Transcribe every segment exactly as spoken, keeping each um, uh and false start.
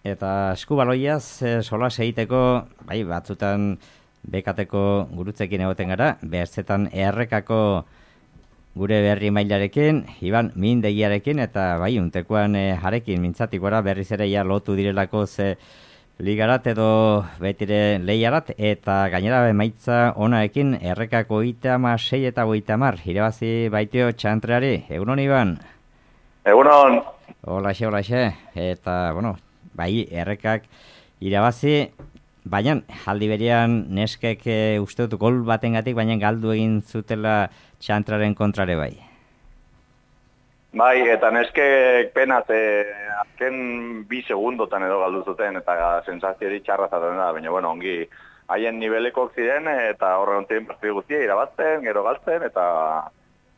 eta eskubaloiaz e, solas egiteko, bai, batzutan bekateko gurutzekin egoten gara, behertzetan errekako gure berri mailarekin, Iban Mindegiarekin, eta bai, untekoan e, jarekin mintzatik gora berriz ere ja lotu direlako ze ligarat edo betire lehiarat, eta gainera emaitza onaekin errekako oita ama sei eta oita amar, irabazi baitio txantreari. Egunon, Iban? Egunon. Holaxe, holaxe, eta, bueno, bai, errekak irabazi, baina aldi berean neskek e, uste dut gol batengatik, baina galdu egin zutela txantraren kontrare bai. Bai, eta neskek penaz, e, azken bi segundotan edo galdu zuten, eta sensaziori txarra zaten da, baina, bueno, ongi haien nivelekok ziren, eta horre ontien partidu guztia irabazten, gero galtzen, eta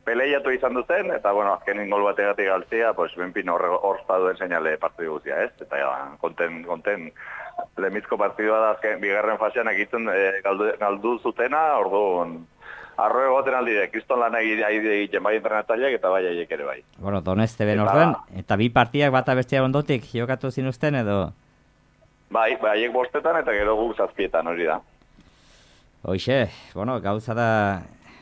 peleiatu izan duzen, eta, bueno, azkenin gol bategatik galtzia, pues, benpin hor duen seinale partidu guztia, ez? Eta, ja, konten, konten, lemizko partidua da, azken, bigarren fasean egitzen e, galdu, galdu zutena, orduan, arro egoten aldide, kriston lan egiten bai entrenatzaileak eta bai aiek ere bai. Bueno, Doneste ben orden, eta bi partiak bata bestia ondotik jokatu zinuzten edo? Bai, bai aiek bostetan eta gero guk zazpietan hori da. Hoxe, bueno, gauza da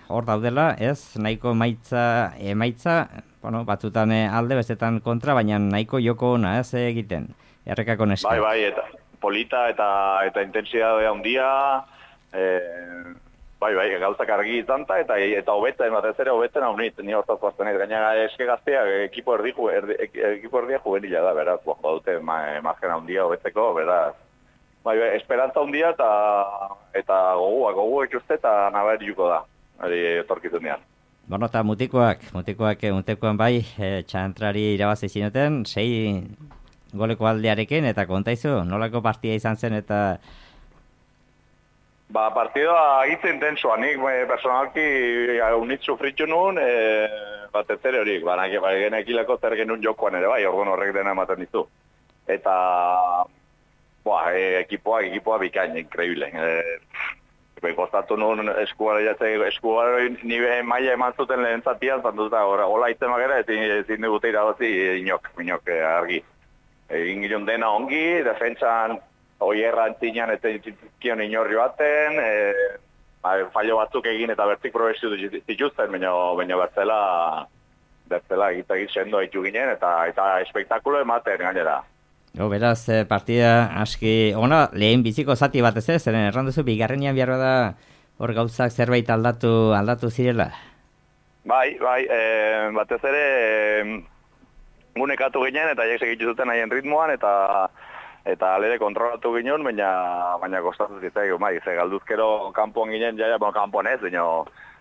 hor daudela, ez, nahiko maitza, emaitza, bueno, batzutan alde, bestetan kontra, baina nahiko joko ona, ez egiten, errekako neska. Bai, bai, eta polita eta eta intensidade handia, eh, bai, bai, gauzak argi izan ta, eta eta hobetzen, batez ere hobetzen hau nit, ni hortaz guazten ez, gaina eske gaztea, ekipo erdi, erdi, ekipo erdia juvenila da, beraz, bojo dute margen handia hobetzeko, beraz. Bai, bai, esperantza handia eta eta gogua, gogua itxuste eta nabarituko da, hori etorkizunean. Bueno, eta mutikoak, mutikoak, mutikoan bai, e, txantrari irabazi zinuten, sei goleko aldearekin, eta kontaizu, nolako partida izan zen, eta Ba, partidua hitz intensoa, nik e, personalki unit sufritu nuen, e, batez ere horik, baina genekileko zer genuen jokoan ere bai, orduan horrek dena ematen dizu. Eta, boa, e, ekipoa, ekipoa bikain, increíble. E, Kostatu nuen eskuara jatzea, eskuara nire maila eman zuten lehen zatian, zantuta, hola itzen magera, ezin digute irabazi inok, inok e, argi. Egin gilun dena ongi, defentsan, oierra antzinean eta kion inorri baten, e, ba, fallo batzuk egin eta bertik progresio zituzten, baina bertzela, bertzela egitek sendo haitu ginen eta eta espektakulo ematen gainera. Jo, beraz, partida aski, ona, lehen biziko zati batez ez, zeren erranduzu, bigarrenian behar da hor gauzak zerbait aldatu aldatu zirela? Bai, bai, e, batez ere e, gunekatu ginen eta jek segitu zuten haien ritmoan eta eta alere kontrolatu ginen, baina baina kostatu zitzaigu, bai, ze galduzkero kanpoan ginen, jaia, bueno, kanpoan ez, baina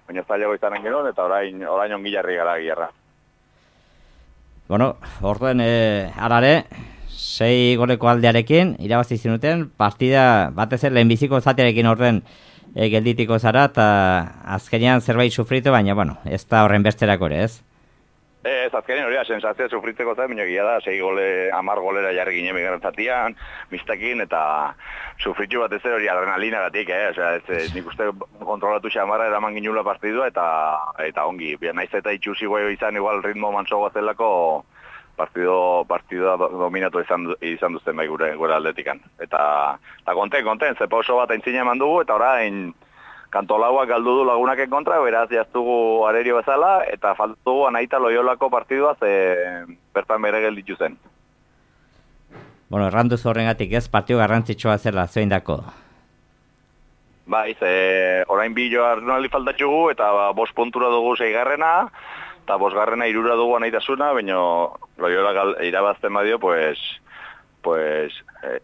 baina zailago izanen ginen, eta orain orain ongi jarri gara gierra. Bueno, orduen eh, arare, sei goleko aldearekin, irabazi zinuten, partida batez ere lehenbiziko zatearekin orden e, gelditiko zara, eta azkenean zerbait sufritu, baina, bueno, ez da horren besterako ere, ez? Ez, azkenean hori da, sensazioa sufritzeko zen, baina gila da, sei gole, amar golera jarri ginen bigarren zatian, mistakin, eta sufritu bat ez hori adrenalina gatik, eh? Osea, ez, ez, nik uste kontrolatu xamarra eraman ginula partidua, eta eta ongi, naiz eta itxusi guai izan igual ritmo mansoa zelako, partido, partidua dominatu izan, izan duzten bai gure, gure aldetikan. Eta, eta konten, konten, zepa oso bat aintzina eman dugu, eta orain kantolauak galdu du lagunaken kontra, beraz jaztugu arerio bezala, eta faltugu anaita Loiolako partidua ze bertan bere gelditu zen. Bueno, erranduz horrengatik ez, partio garrantzitsua zela, zein dako? Bai, ze orain bi joa arnaldi faltatxugu, eta ba, bost puntura dugu seigarrena, eta bosgarrena irura dugu anaitasuna, baina Loiola irabazten badio, pues, pues, eh,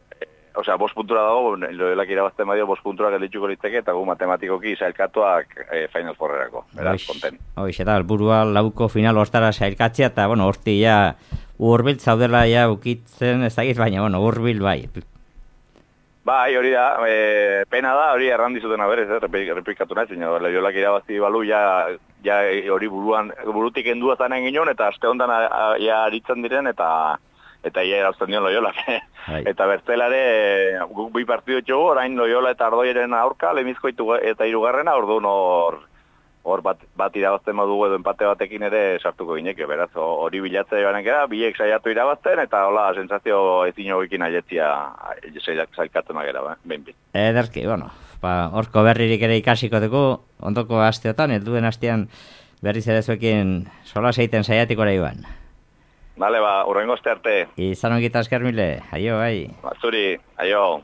osea, bost puntura dago, Loiolak irabazten badio, bost puntura gelditzuko litzeke, eta gu matematikoki sailkatuak e, Final Fourrerako, beraz, konten. Hoiz, eta alburua lauko final hortara sailkatzea, eta, bueno, horti ja, urbil zaudela ja ukitzen ezagit, baina, bueno, urbil bai. Bai, hori da, e, pena da, hori errandizuten aberez, eh, repikatu nahi, zina, Loiolak irabazi balu, ja, ja hori buruan, burutik endua zanen ginen, eta aste hondan ja aritzen diren, eta eta ia erauzten dion Loiolak. Eta bertzelare, guk bi partidu txugu, orain Loiola eta Ardoiren aurka, lemizko eta hirugarrena, orduan hor, hor bat, bat irabazten modugu edo empate batekin ere sartuko gineke, beraz, hori bilatzea joanen gara, biek saiatu irabazten, eta hola, sensazio ezin hogekin aietzia zailkatzen agera, behin bin. Ederki, bueno, ba, horko berririk ere ikasiko dugu, ondoko asteotan, helduen astean berriz ere zuekin sola seiten saiatiko ere joan. Bale, ba, urrengo aste arte. Izan ongita esker mile, aio, bai. Ba, zuri, aio.